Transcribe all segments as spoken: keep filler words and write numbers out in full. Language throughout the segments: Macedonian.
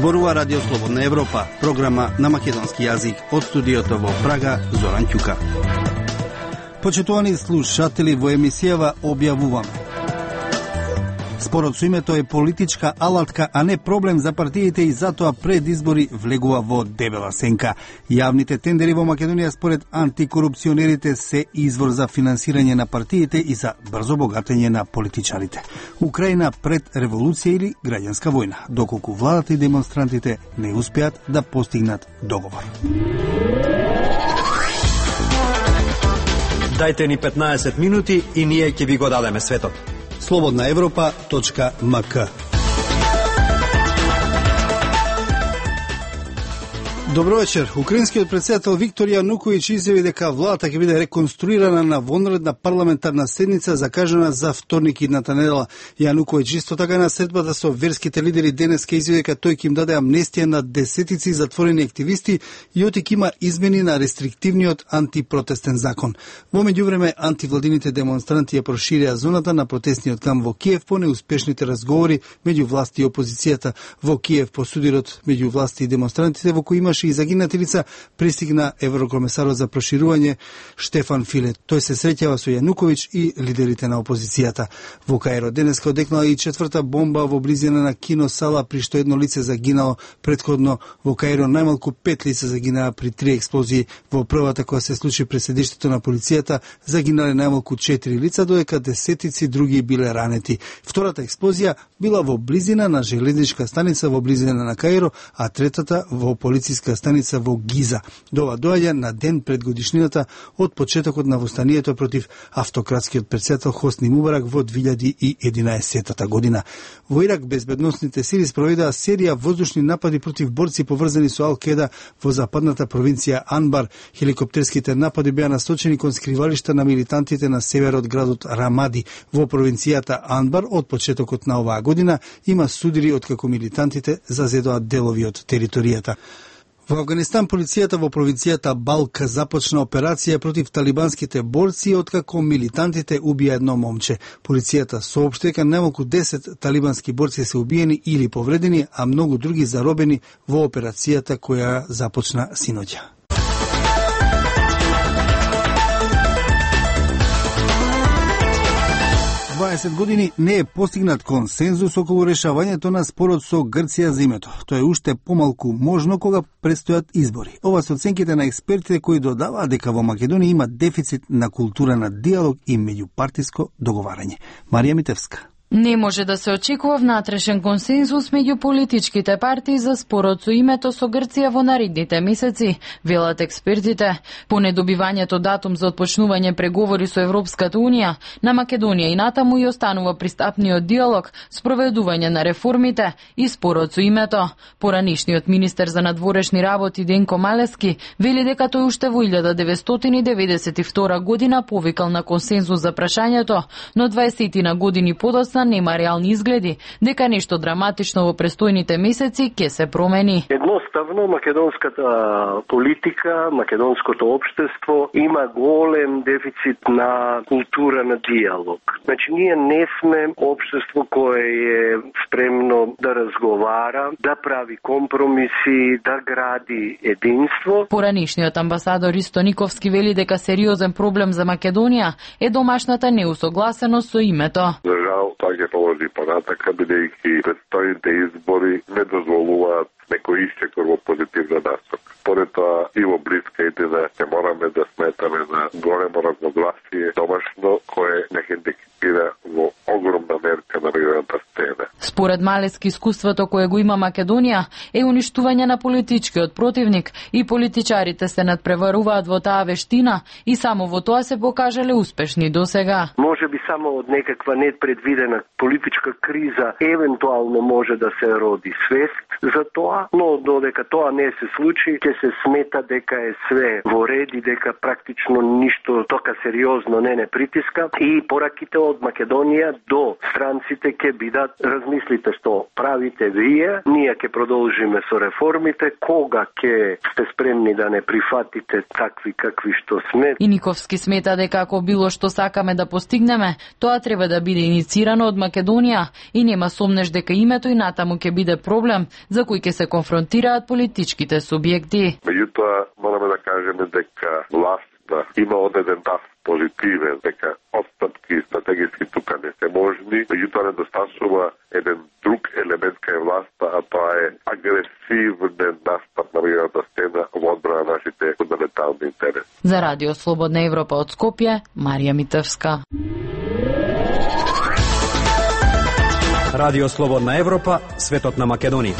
Зборува Радио Слободна Европа, програма на македонски јазик од студиото во Прага, Зоран Ќука. Почитувани слушатели, во емисијава објавуваме: спорот со името е политичка алатка, а не проблем за партиите и затоа пред избори влегува во дебела сенка. Јавните тендери во Македонија според антикорупционерите се извор за финансирање на партиите и за брзо богатење на политичарите. Украина пред револуција или граѓанска војна, доколку владата и демонстрантите не успеат да постигнат договор. Дајте ни петнаесет минути и ние ќе ви го дадеме светот. слободна европа точка ем ка. Добро вечер. Украинскиот претседател Виктор Јануковиќ изјави дека владата ќе биде реконструирана на вонредна парламентарна седница закажана за вторник идната недела. Јануковиќ исто така на средбата со верските лидери денес ке изјави дека тој ќе им даде амнестија на десетици затворени активисти и отик има измени на рестриктивниот антипротестен закон. Во меѓувреме антивладините демонстранти ја проширија зоната на протестниот кам во Киев по неуспешните разговори меѓу власти и опозицијата. Во Киев по судирот меѓу власти и демонстрантите во кој имаше и загинати лица, пристигна еврокомесарот за проширување Штефан Филе. Тој се среќава со Јануковиќ и лидерите на опозицијата. Во Каиро денеска одекнала и четврта бомба во близина на киносала, при што едно лице загинало. Предходно во Каиро најмалку пет лица загинаа при три експлозии. Во првата која се случи пред седиштето на полицијата загинале најмалку четири лица, додека десетици други биле ранети. Втората експлозија била во близина на железничка станица во близина на Каиро, а третата во полициска станица во Гиза. Дова доаѓа на ден пред годишнината од почетокот на востанието против автократскиот претседател Хосни Мубарак во две илјади и единаесетта година. Во Ирак безбедносните сили спроведаа серија воздушни напади против борци поврзани со Ал-Кеда во западната провинција Анбар. Хеликоптерските напади беа насочени кон скривалишта на милитантите на север од градот Рамади. Во провинцијата Анбар од почетокот на оваа година има судири откако милитантите зазедоа делови од територијата. Во Афганистан полицијата во провинцијата Балк започна операција против талибанските борци откако милитантите убија едно момче. Полицијата соопшти дека најмалку десет талибански борци се убиени или повредени, а многу други заробени во операцијата која започна синоќа. дваесет години не е постигнат консензус околу решавањето на спорот со Грција за името. Тоа е уште помалку можно кога предстојат избори. Ова се оценките на експертите кои додаваат дека во Македонија има дефицит на култура на диалог и меѓупартиско договарање. Марија Митевска. Не може да се очекува внатрешен консензус меѓу политичките партии за спорот со името со Грција во наредните месеци, велат експертите. По недобивањето датум за отпочнување преговори со Европската унија, на Македонија и натаму и останува пристапниот диалог, спроведување на реформите и спорот со името. Поранишниот министер за надворешни работи Денко Малески вели дека тој уште во илјада деветстотини деветдесет и втора година повикал на консензус за прашањето, но дваесет години подоцна нема реални изгледи дека нешто драматично во престојните месеци ќе се промени. Едноставно македонската политика, македонското општество има голем дефицит на култура на диалог. Значи ние не сме општество кое е спремно да разговара, да прави компромиси, да гради единство. Поранишниот амбасадор Ристо Никовски вели дека сериозен проблем за Македонија е домашната неусогласеност со името. Тоа ќе продолжи понатака, бидејќи предстојните избори не дозволуваат некој исчекор во позитивна насока. Поред тоа и во блиските да ќе мораме да сметаме на големо разногласие домашно кое не хендикира во огромна мерка на мигрантска сцена. Според Малески, искуството кое го има Македонија е уништување на политичкиот противник и политичарите се надпреваруваат во таа вештина и само во тоа се покажале успешни досега. Може би само од некаква непредвидена политичка криза евентуално може да се роди свест за тоа, но додека тоа не се случи, ќе се смета дека е све во ред и дека практично ништо тока сериозно не не притиска и пораките од Македонија до странците ќе бидат: размислите што правите вие, ние ќе продолжиме со реформите, кога ќе сте спремни да не прифатите такви какви што сме. Иниковски смета дека ако било што сакаме да постигнеме, тоа треба да биде иницирано од Македонија и нема сомнеш дека името и натаму ќе биде проблем за кој ќе се конфронтираат политичките субјекти. Меѓутоа, мораме да кажеме дека власта има одреден тав позитивен, дека отстапки стратегиски тука не се можни, меѓутоа недостасува еден друг елемент кај власта, а тоа е агресивен настап на меѓународната сцена во одбрана на нашите фундаментални интереси. За Радио Слободна Европа од Скопје, Марија Митевска. Радио Слободна Европа, светот на Македонија.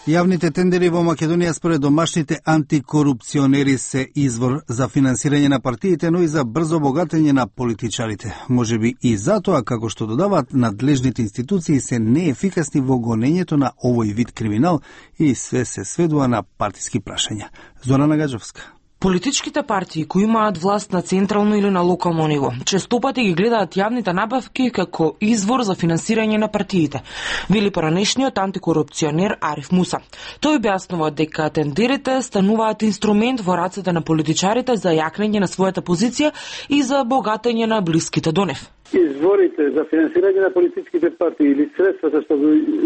Јавните тендери во Македонија според домашните антикорупционери се извор за финансирање на партиите, но и за брзо богатење на политичарите. Можеби и затоа, како што додаваат, надлежните институции се неефикасни во гонењето на овој вид криминал и све се сведува на партиски прашања. Зорана Гаджевска. Политичките партии кои имаат власт на централно или на локално ниво честопати ги гледаат јавните набавки како извор за финансирање на партиите, вели поранешниот антикорупционер Ариф Муса. Тој објаснува дека тендерите стануваат инструмент во рацете на политичарите за јакнење на својата позиција и за богатење на блиските до нив. Изворите за финансирање на политичките партии или средствата што,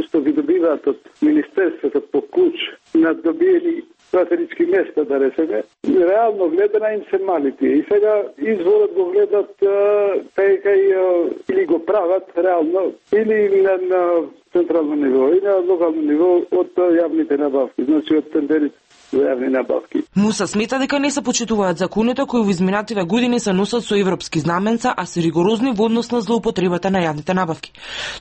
што ги добиваат од министерството по клуч на добиени стратегички места, да речеме, реално гледана им се малите. И сега изворот го гледат кај кај или го прават реално, или на, на централно ниво, и на локално ниво од јавните набавки, значи од тендерите за јавни набавки. Муса смета дека не се почитуваат законите кои во изминативе години се носат со европски знаменца, а се ригорозни во однос на злоупотребата на јавните набавки.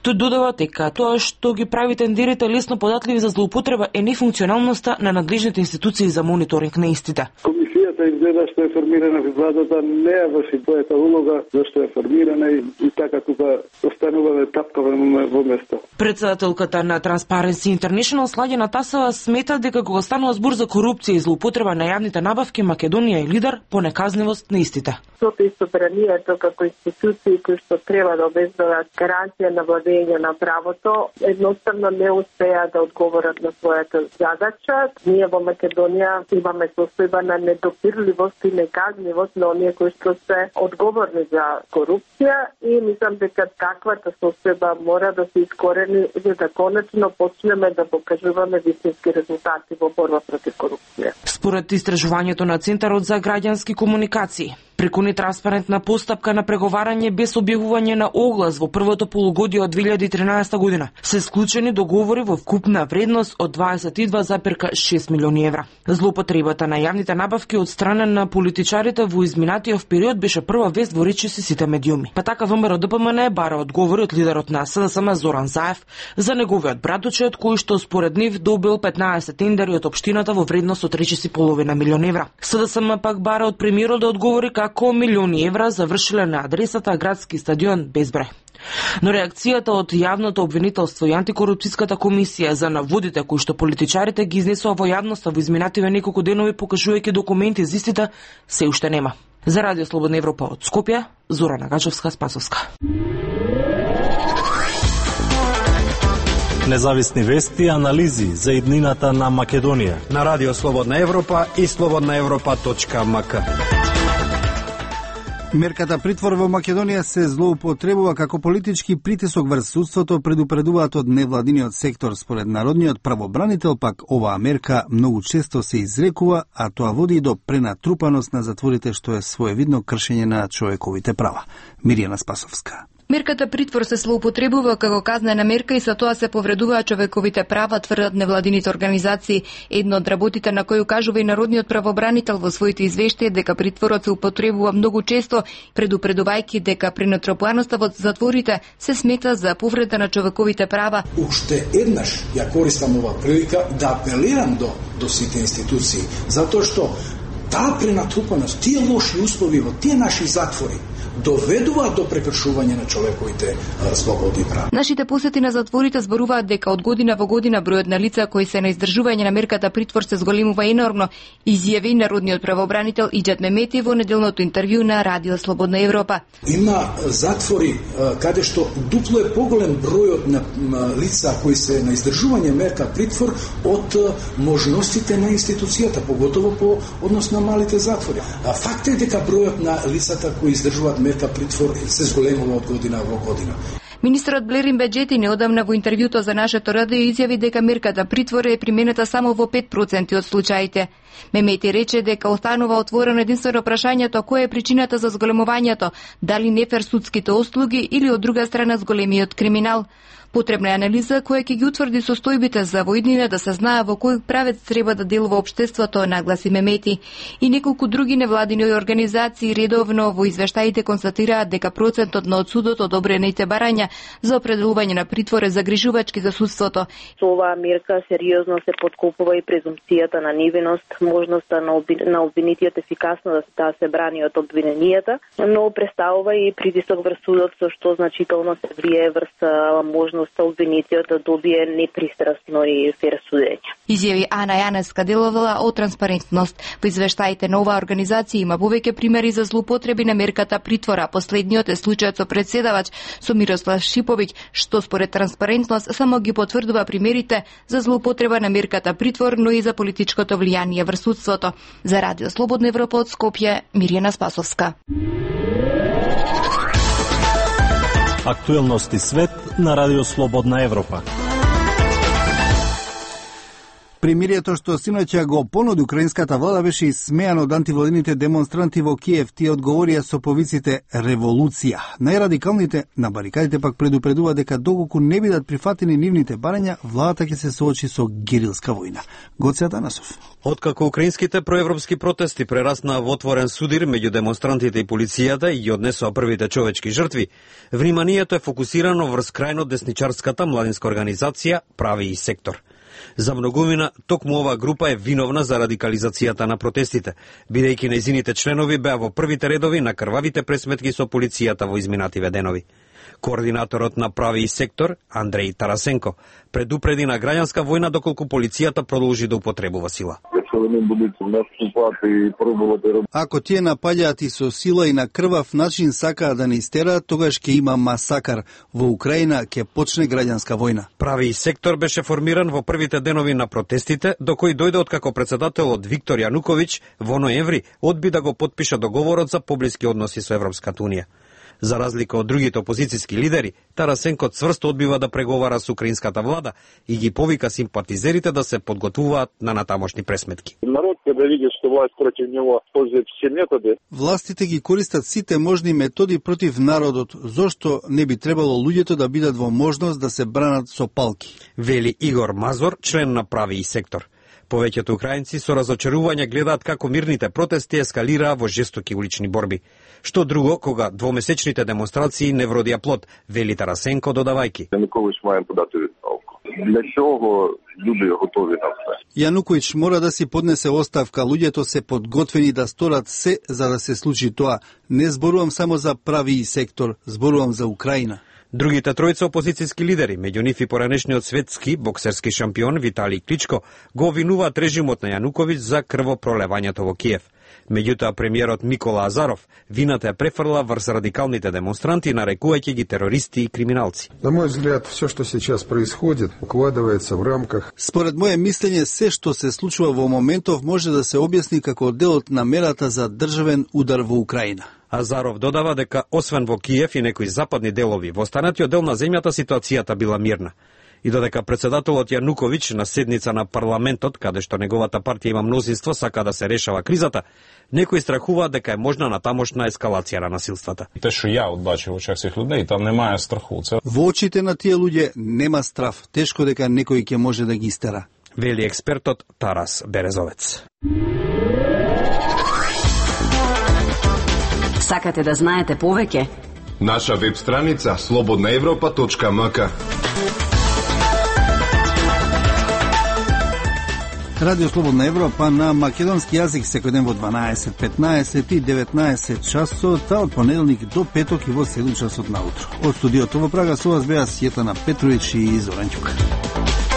Тој додава дека тоа што ги прави тендерите лесно податливи за злоупотреба е нефункционалноста на надлежните институции за мониторинг на истите. Комисијата изгледа што е формирана во владата не ја врши својата улога зашто е формирана и, и така тука остануваме тапкаваме во место. Председателката на Transparency International Сладена Тасова смета дека кога станува збор за корупција и злоупотреба на јавните набавки, Македонија е лидер по неказнивост на истите. Сото и собранието како институции кои што треба да обезбедат гаранција на владење на правото, едноставно не успеа да одговорат на својата задача. Ние во Македонија имаме состојба на недопирливост и неказнивост на оние кои што се одговорни за корупција и мислам дека таквата состојба мора да се искорени за да конечно почнеме да покажуваме вистински резултати во борба против корупција. Според истражувањето на Центарот за граѓански комуникации, преку нетранспарентна постапка на преговарање без објавување на оглас во првото полугодие од две илјади и тринаесета година се склучени договори во вкупна вредност од дваесет и два зарез шест милиони евра. Злоупотребата на јавните набавки од страна на политичарите во изминатиот период беше прва вест во речиси сите медиуми. Па така ВМРО Д П М Н бара одговори од лидерот на С Д С М Зоран Заев за неговиот братучет кој што според нив добил петнаесет тендери од општината во вредност од речиси половина милион евра. С Д С М пак бара од премиерот да одговори како милиони евра завршиле на адресата градски стадион без број. Но реакцијата од јавното обвинителство и антикорупцијската комисија за наводите кои што политичарите ги изнесоа во јавноста во изминативе неколку денови покажувајќи документи за истите се уште нема. За Радио Слободна Европа од Скопје, Зорана Гаджевска-Спасовска. Независни вести и анализи за иднината на Македонија на Радио Слободна Европа и слободна европа точка м к. Мерката притвор во Македонија се злоупотребува како политички притисок врз судството, предупредуваат од невладиниот сектор. Според народниот правобранител пак оваа мерка многу често се изрекува, а тоа води до пренатрупаност на затворите, што е своевидно кршење на човековите права. Миријана Спасовска. Мерката притвор се злоупотребува како казнена мерка и со тоа се повредуваат човековите права, тврдат невладините организации. Едно од работите на кој укажува и народниот правобранител во своите извештаи дека притворот се употребува многу често, предупредувајќи дека пренатрупаноста во затворите се смета за повреда на човековите права. Уште еднаш ја користам оваа прилика да апелирам до до сите институции, затоа што таа пренатрупаност, тие лоши услови во тие наши затвори доведуваат до прекршување на човековите слободи и права. Нашите посети на затворите зборуваат дека од година во година бројот на лица кои се на издржување на мерката притвор се зголемува енормно, изјави народниот правобранител Иџет Мемети во неделното интервју на Радио Слободна Европа. Има затвори каде што дупло е поголем бројот на лица кои се на издржување мерка притвор од можностите на институцијата, поготово по однос на малите затвори. А факт е дека бројот на лицата кои издржуваат мерка притвор се зголемува од година во година. Министерот Блерин Беџети неодамна во интервјуто за нашето радио изјави дека мерката притвор е применета само во пет проценти од случаите. Мемети рече дека останува отворено единствено прашањето која е причината за зголемувањето, дали нефер судските услуги или од друга страна зголемиот криминал. Потребна е анализа која ќе ги утврди состојбите за во иднина да се знае во кој правец треба да делува општеството, нагласи Мемети. И неколку други невладини организации редовно во извештаите констатираат дека процентот на од судот одобрените барања за определување на притвор е загрижувачки за судството. Со оваа мерка сериозно се подкопува и презумпцијата на невиност, можноста на, обвин... на обвинитиот ефикасно да, да се брани од обвиненијата, но представува и притисок врз судот, со што значително се влие врз можност обвинитиот да добие непристрасно и фер судење. Изјави Ана Јанеска, деловала од Транспарентност. Во извештаите на оваа организација има повеќе примери за злоупотреби на мерката притвора. Последниот е случајот со председавач со Мирослав Шиповиќ, што според Транспарентност само ги потврдува примерите за злоупотреба на мерката притвор, но и за политичкото влијание врз судството. За Радио Слободна Европа од Скопје, Мирјана Спасовска. Актуелности свет на Радио Слободна Европа. Примирието што синоќа го понуди украинската влада беше исмејано од антивладините демонстранти во Киев. Тие одговорија со повиците револуција. Најрадикалните на барикадите пак предупредува дека доколку не бидат прифатени нивните барања, владата ќе се соочи со герилска војна. Гоце Атанасов. Откако украинските проевропски протести прераснаа во отворен судир меѓу демонстрантите и полицијата и однесоа првите човечки жртви, вниманието е фокусирано врз крајно десничарската младинска организација Прави и сектор. За многумина, токму оваа група е виновна за радикализацијата на протестите, бидејќи нејзините членови беа во првите редови на крвавите пресметки со полицијата во изминативе денови. Координаторот на Прави и сектор, Андреј Тарасенко, предупреди на граѓанска војна доколку полицијата продолжи да употребува сила. Ако тие напаѓаат и со сила и на крвав начин сакаат да не истераат, тогаш ќе има масакар. Во Украина ќе почне граѓанска војна. Прави и сектор беше формиран во првите денови на протестите, до кои дојде откако председателот Виктор Јануковиќ во ноември одби да го потпише договорот за поблиски односи со Европската унија. За разлика од другите опозицијски лидери, Тарасенко цврсто одбива да преговара со украинската влада и ги повика симпатизерите да се подготвуваат на натамошни пресметки. Народ кога види што власт против него использует все методи. Властите ги користат сите можни методи против народот, зошто не би требало луѓето да бидат во можност да се бранат со палки. Вели Игор Мазор, член на Прави и сектор. Повеќето украинци со разочарување гледаат како мирните протести ескалираа во жестоки улични борби. Што друго кога двомесечните демонстрации не вродија плод, вели Тарасенко додавајки. Јануковиќ маја подати оставку. Для чого луѓе готови на се? Јануковиќ мора да си поднесе оставка, луѓето се подготвени да сторат се за да се случи тоа. Не зборувам само за Прави и сектор, зборувам за Украина. Другите тројца опозицијски лидери, меѓу нив и поранешниот светски боксерски шампион Виталий Кличко, го обвинуваат режимот на Јануковиќ за крвопролевањето во Киев. Меѓутоа премиерот Микола Азаров вината е префрла врз радикалните демонстранти, нарекувајќи ги терористи и криминалци. На мој взгляд, все што сейчас происходит, укладывается в рамках. Според моје мислење, се што се случува во моментов може да се објасни како делот на мерата за државен удар во Украина. Азаров додава дека освен во Киев и некои западни делови, во останатиот дел на земјата ситуацијата била мирна. И додека председателот Јануковиќ на седница на парламентот, каде што неговата партија има мнозинство, сака да се решава кризата, некои страхуваат дека е можна натамошна ескалација на насилствата. Те што ја одбачив во очах сих луѓе, там немае страху. Во очите на тие луѓе нема страв, тешко дека некој ќе може да ги истера. Вели експертот Тарас Березовец. Сакате да знаете повеќе? Наша веб страница слободна европа точка м к. Радио Слободна Европа на македонски јазик секој ден во дванаесет, петнаесет и деветнаесет часот, а од понеделник до петок и во седум часот наутро. Од студиото во Прага со вас беа Сјетана Петровиќ и Зоран Ѓука.